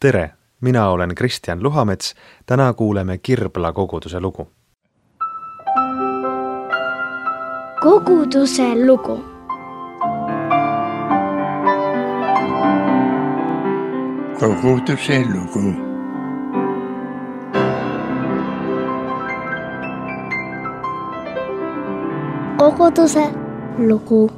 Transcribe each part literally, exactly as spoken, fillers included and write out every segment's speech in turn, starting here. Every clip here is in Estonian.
Tere! Mina olen Kristjan Luhamets. Täna kuuleme Kirbla koguduse lugu. Koguduse lugu. Koguduse lugu. Koguduse lugu.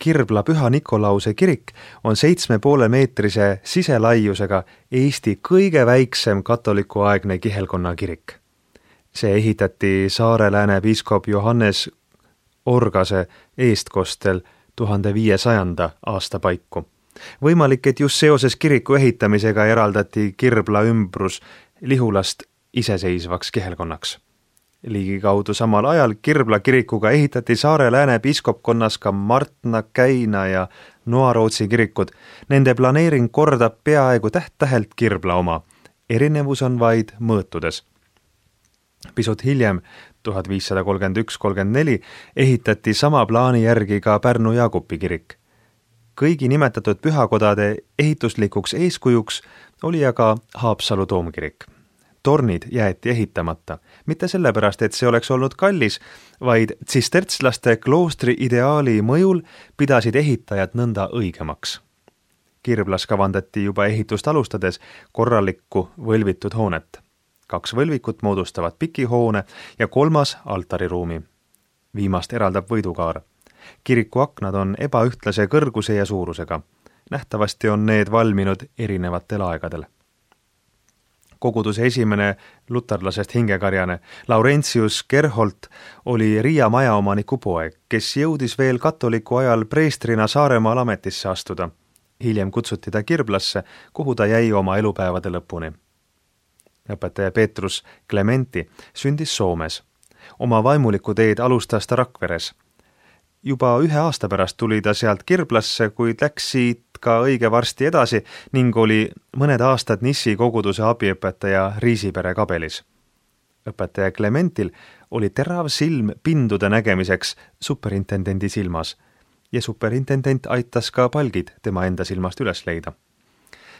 Kirbla Püha Nikolause kirik on seitsme poole meetrise siselaiusega Eesti kõige väiksem katolikuaegne kihelkonna kirik. See ehitati Saare-Lääne piiskop Johannes Orgase eestkostel tuhande viiesajanda aasta paiku. Võimalik, et just seoses kiriku ehitamisega eraldati Kirbla ümbrus Lihulast iseseisvaks kihelkonnaks. Ligikaudu samal ajal Kirbla kirikuga ehitati Saare-Lääne piiskopkonnas ka Martna, Käina ja Noarootsi kirikud. Nende planeering kordab peaaegu täht-tähelt Kirbla oma. Erinevus on vaid mõõtudes. Pisut hiljem, tuhat viissada kolmkümmend üks kolmkümmend neli, ehitati sama plaani järgi ka Pärnu Jaagupi kirik. Kõigi nimetatud pühakodade ehituslikuks eeskujuks oli aga Haapsalu toomkirik. Tornid jäeti ehitamata, mitte sellepärast, et see oleks olnud kallis, vaid tsistertslaste kloostri ideaali mõjul pidasid ehitajad nõnda õigemaks. Kirblas kavandati juba ehitust alustades korralikku võlvitud hoonet. Kaks võlvikut moodustavad pikihoone ja kolmas altariruumi. Viimast eraldab võidukaar. Kiriku aknad on ebaühtlase kõrguse ja suurusega. Nähtavasti on need valminud erinevatel aegadel. Koguduse esimene luterlasest hingekarjane Laurentius Gerholt oli Riia majaomaniku poeg, kes jõudis veel katoliku ajal preestrina Saaremaal ametisse astuda. Hiljem kutsuti ta Kirblasse, kuhu ta jäi oma elupäevade lõpuni. Õpetaja Petrus Clementi sündis Soomes. Oma vaimuliku teed alustas ta Rakveres. Juba ühe aasta pärast tuli ta sealt Kirblasse, kuid läks siit ka õige varsti edasi ning oli mõned aastad Nissi koguduse abiõpetaja Riisipere kabelis. Õpetaja Clementil oli terav silm pindude nägemiseks superintendendi silmas ja superintendent aitas ka palgid tema enda silmast üles leida.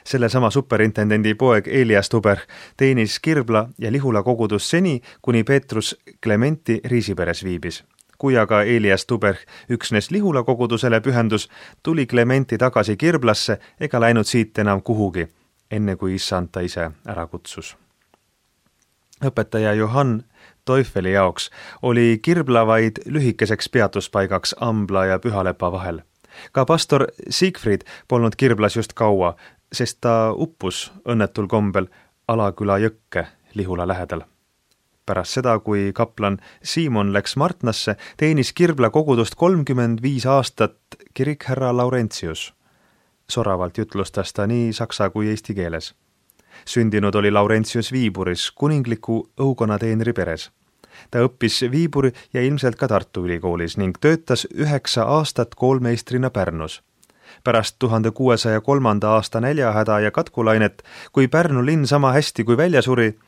Selle sama superintendendi poeg Elias Tuber teenis Kirbla ja Lihula kogudus seni, kuni Petrus Clementi Riisiperes viibis. Kui aga Elias Tuber üksnes Lihula kogudusele pühendus, tuli Clementi tagasi Kirblasse ega läinud siit enam kuhugi, enne kui issand ta ise ära kutsus. Õpetaja Johann Teufeli jaoks oli Kirbla vaid lühikeseks peatuspaigaks Ambla ja Pühalepa vahel. Ka pastor Siegfried polnud Kirblas just kaua, sest ta uppus õnnetul kombel Alaküla jõkke Lihula lähedal. Pärast seda, kui kaplan Siimon läks Martnasse, teenis Kirbla kogudust kolmkümmend viis aastat kirikhärra Laurentius. Soravalt jutlustas ta nii saksa kui eesti keeles. Sündinud oli Laurentius Viiburis, kuningliku õukonateenri peres. Ta õppis Viiburi ja ilmselt ka Tartu ülikoolis ning töötas üheksa aastat koolmeistrina Pärnus. Pärast tuhande kuuesaja kolmanda aasta näljahäda ja katkulainet, kui Pärnu linn sama hästi kui välja suri,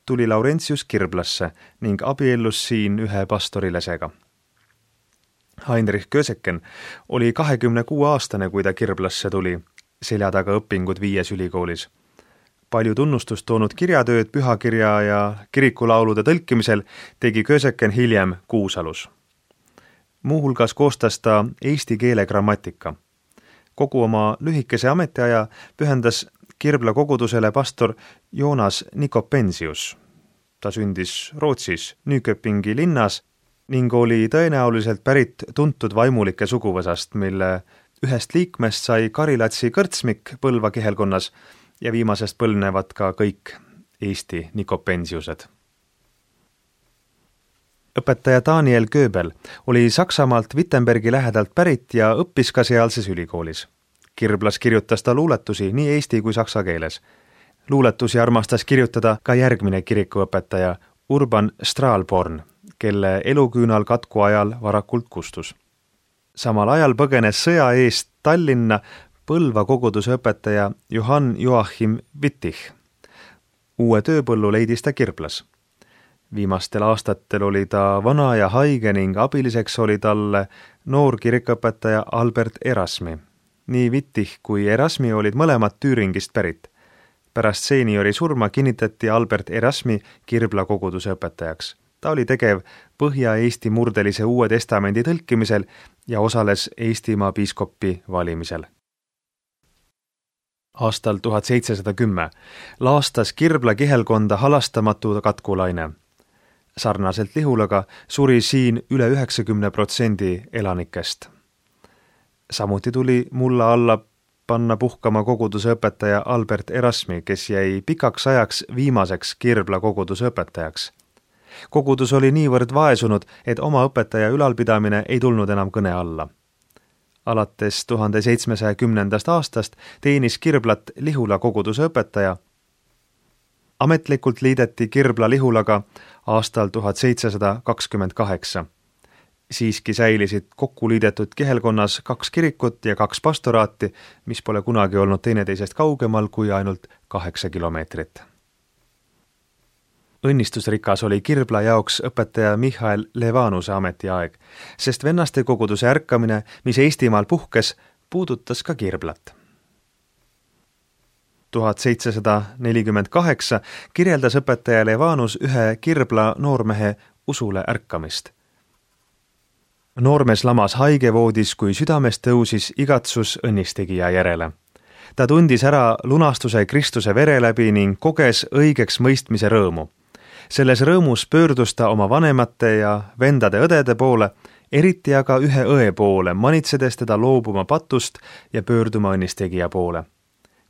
tuli Laurentius Kirblasse ning abiellus siin ühe pastorilesega. Heinrich Köseken oli kahekümne kuue aastane, kui ta Kirblasse tuli, selja taga õpingud viies ülikoolis. Palju tunnustust toonud kirjatööd pühakirja ja kirikulaulude tõlkimisel tegi Köseken hiljem Kuusalus. Muuhulgas koostas ta eesti keele grammatika. Kogu oma lühikese ametiaja pühendas Kirbla kogudusele pastor Joonas Nikopensius. Ta sündis Rootsis Nyköpingi linnas ning oli tõenäoliselt pärit tuntud vaimulike suguvõsast, mille ühest liikmest sai Karilatsi kõrtsmik Põlva kihelkonnas ja viimasest põlnevad ka kõik Eesti Nikopensiused. Õpetaja Daniel Göbel oli Saksamaalt Wittenbergi lähedalt pärit ja õppis ka sealses ülikoolis. Kirblas kirjutas ta luuletusi nii eesti kui saksa keeles. Luuletusi armastas kirjutada ka järgmine kirikuõpetaja Urban Straalborn, kelle eluküünal katku ajal varakult kustus. Samal ajal põgenes sõja eest Tallinna Põlva koguduse õpetaja Johann Joachim Wittich. Uue tööpõllu leidis ta Kirblas. Viimastel aastatel oli ta vana ja haige ning abiliseks oli talle noor kirikuõpetaja Albert Erasmi. Nii Wittich kui Erasmi olid mõlemad Tüüringist pärit. Pärast seeniori surma kinnitati Albert Erasmi Kirbla koguduse õpetajaks. Ta oli tegev Põhja-Eesti murdelise Uue Testamendi tõlkimisel ja osales Eestimaa piiskopi valimisel. Aastal tuhat seitsesada kümme laastas Kirbla kihelkonda halastamatu katkulaine. Sarnaselt Lihulaga suri siin üle üheksakümne protsendi elanikest. Samuti tuli mulla alla panna puhkama koguduse õpetaja Albert Erasmi, kes jäi pikaks ajaks viimaseks Kirbla koguduse õpetajaks. Kogudus oli niivõrd vaesunud, et oma õpetaja ülalpidamine ei tulnud enam kõne alla. Alates tuhande seitsmesaja kümnendast aastast teenis Kirblat Lihula koguduse õpetaja. Ametlikult liideti Kirbla Lihulaga aastal tuhat seitsesada kakskümmend kaheksa. Siiski säilisid kokku liidetud kihelkonnas kaks kirikut ja kaks pastoraati, mis pole kunagi olnud teineteisest kaugemal kui ainult kaheksa kilomeetrit. Õnnistusrikas oli Kirbla jaoks õpetaja Michael Levanuse ametiaeg, sest vennaste koguduse ärkamine, mis Eestimaal puhkes, puudutas ka Kirblat. tuhat seitsesada nelikümmend kaheksa kirjeldas õpetaja Levanus ühe Kirbla noormehe usule ärkamist. Noormees lamas haigevoodis, kui südamest tõusis igatsus õnnistegija järele. Ta tundis ära lunastuse Kristuse vere läbi ning koges õigeks mõistmise rõõmu. Selles rõõmus pöördus ta oma vanemate ja vendade õdede poole, eriti aga ühe õe poole, manitsedes teda loobuma patust ja pöörduma õnnistegija poole.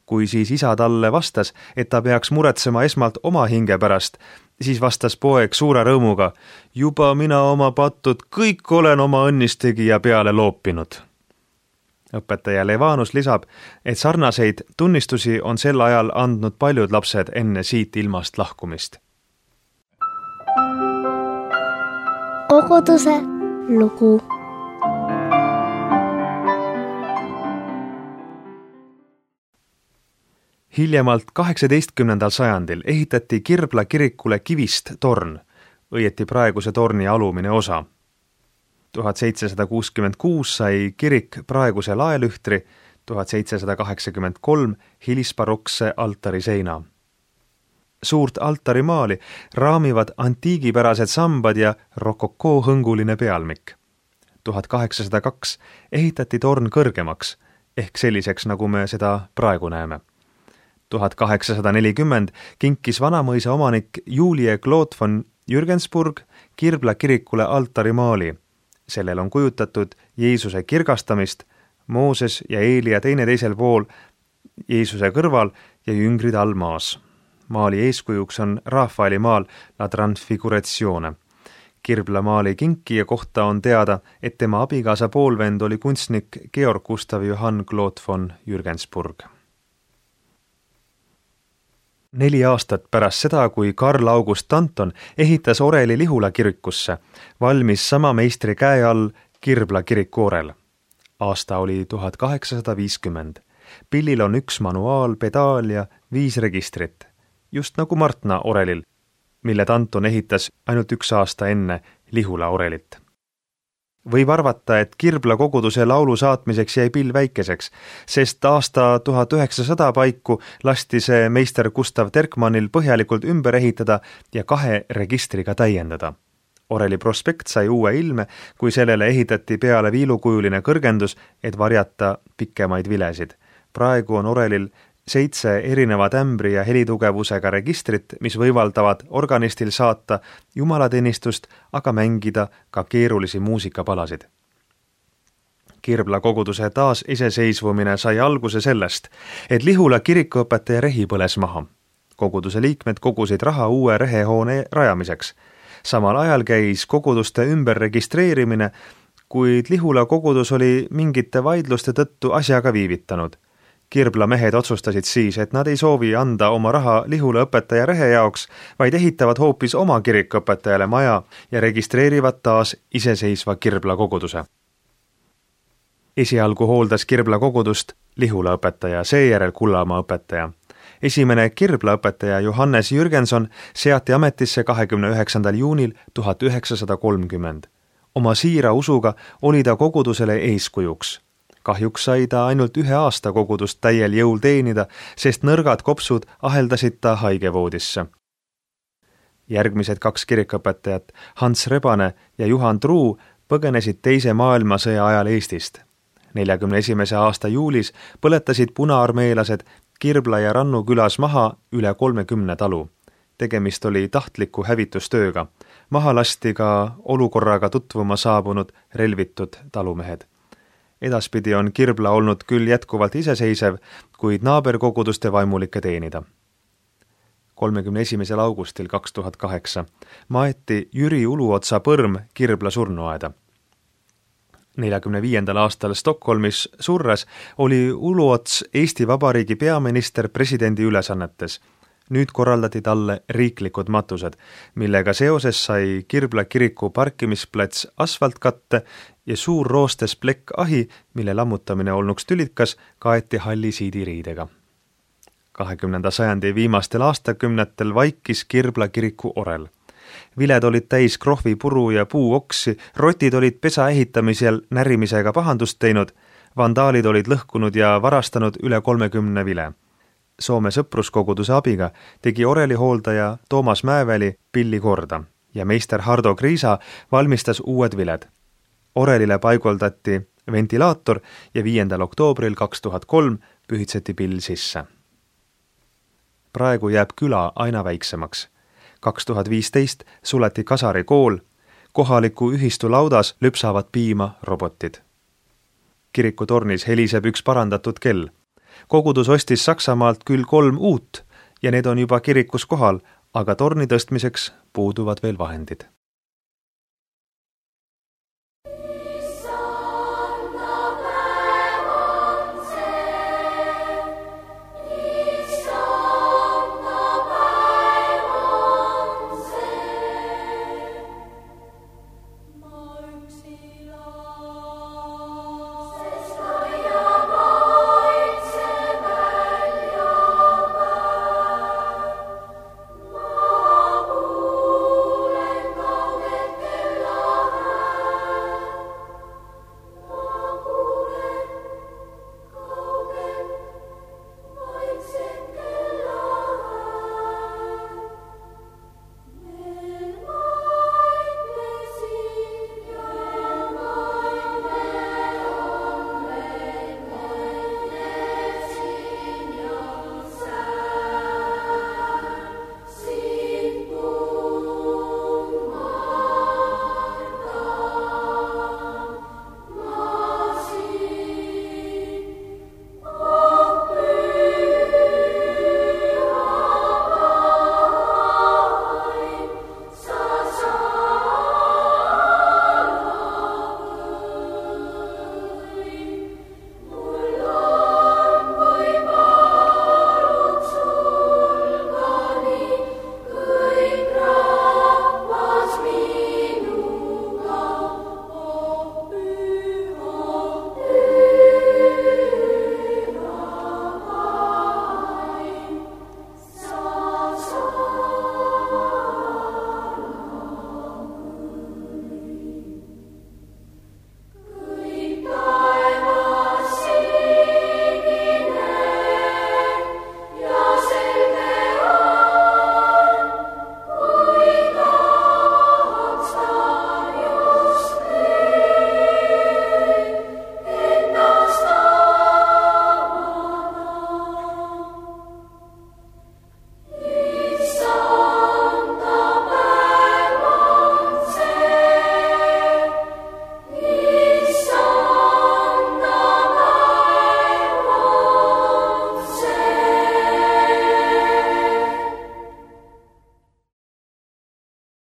Kui siis isa talle vastas, et ta peaks muretsema esmalt oma hinge pärast, siis vastas poeg suure rõõmuga, juba mina oma patud kõik olen oma õnnistegija peale loopinud. Õpetaja Levanus lisab, et sarnaseid tunnistusi on sel ajal andnud paljud lapsed enne siit ilmast lahkumist. Koguduse lugu. Hiljemalt kaheksateistkümnendal sajandil ehitati Kirbla kirikule kivist torn, õieti praeguse torni alumine osa. tuhat seitsesada kuuskümmend kuus sai kirik praeguse laelühtri, tuhat seitsesada kaheksakümmend kolm hilisbarokse altariseina. Suurt altarimaali raamivad antiigipärased sambad ja rokokoo hõnguline pealmik. tuhat kaheksasada kaks ehitati torn kõrgemaks, ehk selliseks, nagu me seda praegu näeme. tuhat kaheksasada nelikümmend kinkis Vanamõisa omanik Julie Claude von Jürgensburg Kirbla kirikule altarimaali. Sellel on kujutatud Jeesuse kirgastamist, Mooses ja Eelia teineteisel pool Jeesuse kõrval ja jüngrid all maas. Maali eeskujuks on Rafaeli maal La Transfiguratione. Kirbla maali kinkija kohta on teada, et tema abikaasa poolvend oli kunstnik Georg Gustav Johann Claude von Jürgensburg. Neli aastat pärast seda, kui Karl August Danton ehitas Oreli Lihula kirikusse, valmis sama meistri käe all Kirbla kiriku orel. Aasta oli tuhat kaheksasada viiskümmend. Pillil on üks manuaal, pedaal ja viis registrit, just nagu Martna orelil, mille Danton ehitas ainult üks aasta enne Lihula orelit. Võib arvata, et Kirbla koguduse laulu saatmiseks jäi pill väikeseks, sest aasta tuhat üheksasada paiku lasti see meister Gustav Terkmannil põhjalikult ümber ehitada ja kahe registriga täiendada. Oreli prospekt sai uue ilme, kui sellele ehitati peale viilukujuline kõrgendus, et varjata pikemaid vilesid. Praegu on Orelil seitse erineva tämbri ja helitugevusega registrit, mis võimaldavad organistil saata jumalateenistust, aga mängida ka keerulisi muusikapalasid. Kirbla koguduse taas iseseisvumine sai alguse sellest, et Lihula kirikuõpetaja rehi põles maha. Koguduse liikmed kogusid raha uue rehehoone rajamiseks. Samal ajal käis koguduste ümber registreerimine, kuid Lihula kogudus oli mingite vaidluste tõttu asjaga viivitanud. Kirbla mehed otsustasid siis, et nad ei soovi anda oma raha Lihula õpetaja rehe jaoks, vaid ehitavad hoopis oma kirikuõpetajale maja ja registreerivad taas iseseisva Kirbla koguduse. Esialgu hooldas Kirbla kogudust Lihula õpetaja, seejärel Kullamaa õpetaja. Esimene Kirbla õpetaja Johannes Jürgenson seati ametisse kahekümne üheksandal juunil tuhat üheksasada kolmkümmend. Oma siira usuga oli ta kogudusele eeskujuks. Kahjuks sai ta ainult ühe aasta kogudust täiel jõul teenida, sest nõrgad kopsud aheldasid ta haigevoodisse. Järgmised kaks kirikõpetajat, Hans Rebane ja Juhan Truu, põgenesid teise maailmasõja ajal Eestist. neljakümne esimese aasta juulis põletasid punaarmeelased Kirbla ja Rannu külas maha üle kolmekümne talu. Tegemist oli tahtliku hävitustööga. Maha lasti ka olukorraga tutvuma saabunud relvitud talumehed. Edaspidi on Kirbla olnud küll jätkuvalt iseseisev, kuid naaberkoguduste vaimulikke teenida. kolmekümne esimesel augustil kaks tuhat kaheksa maeti Jüri Uluotsa põrm Kirbla surnuaeda. neljakümne viiendal aastal Stockholmis surres oli Uluots Eesti Vabariigi peaminister presidendi ülesannetes. Nüüd korraldati talle riiklikud matused, millega seoses sai Kirbla kiriku parkimisplats asfaltkatte ja suur roostes plekk ahi, mille lammutamine olnuks tülikas, kaeti halli siidiriidega. kahekümnenda sajandi viimastel aastakümnetel vaikis Kirbla kiriku orel. Viled olid täis krohvipuru ja puuoksi, rotid olid pesa ehitamisel närimisega pahandust teinud, vandaalid olid lõhkunud ja varastanud üle kolmekümne vile. Soome sõpruskoguduse abiga tegi oreli hooldaja Toomas Mäeväli pilli korda ja meister Hardo Kriisa valmistas uued viled. Orelile paiguldati ventilaator ja viiendal oktoobril kaks tuhat kolm pühitseti pill sisse. Praegu jääb küla aina väiksemaks. kaks tuhat viisteist suleti Kasari kool, kohaliku ühistu laudas lüpsavad piima robotid. Kirikutornis heliseb üks parandatud kell. Kogudus ostis Saksamaalt küll kolm uut ja need on juba kirikus kohal, aga torni tõstmiseks puuduvad veel vahendid.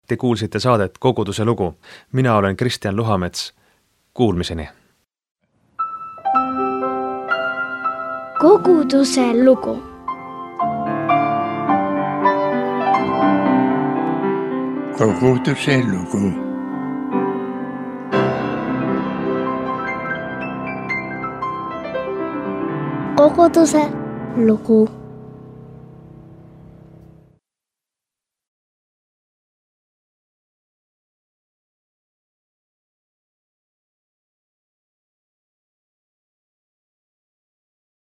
Te kuulsite saadet Koguduse lugu. Mina olen Kristjan Luhamets. Kuulmiseni. Koguduse lugu. Koguduse lugu. Koguduse lugu.